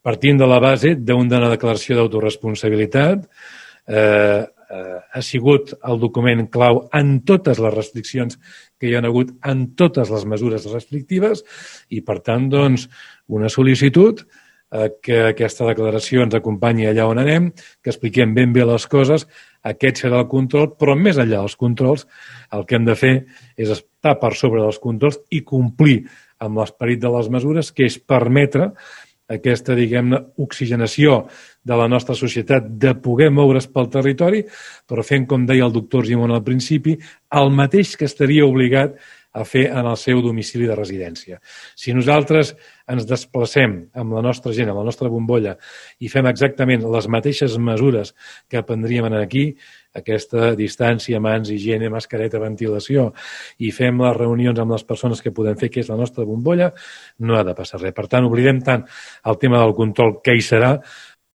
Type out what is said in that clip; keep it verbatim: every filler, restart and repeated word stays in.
partint de la base d'una declaració d'autoresponsabilitat, eh, eh, ha sigut el document clau en totes les restriccions que hi ha hagut, en totes les mesures restrictives, i, per tant, doncs, una sol·licitud eh, que aquesta declaració ens acompanyi allà on anem, que expliquem ben bé les coses. Aquest serà el control, però més enllà dels controls, el que hem de fer és estar per sobre dels controls i complir amb l'esperit de les mesures, que és permetre aquesta, diguem-ne, oxigenació de la nostra societat, de poder moure's pel territori, però fent, com deia el doctor Argimon al principi, el mateix que estaria obligat a fer en el seu domicili de residència. Si nosaltres ens desplacem amb la nostra gent, amb la nostra bombolla, i fem exactament les mateixes mesures que prendríem aquí, aquesta distància, mans, higiene, mascareta, ventilació, i fem les reunions amb les persones que podem fer, que és la nostra bombolla, no ha de passar res. Per tant, oblidem tant el tema del control, que hi serà,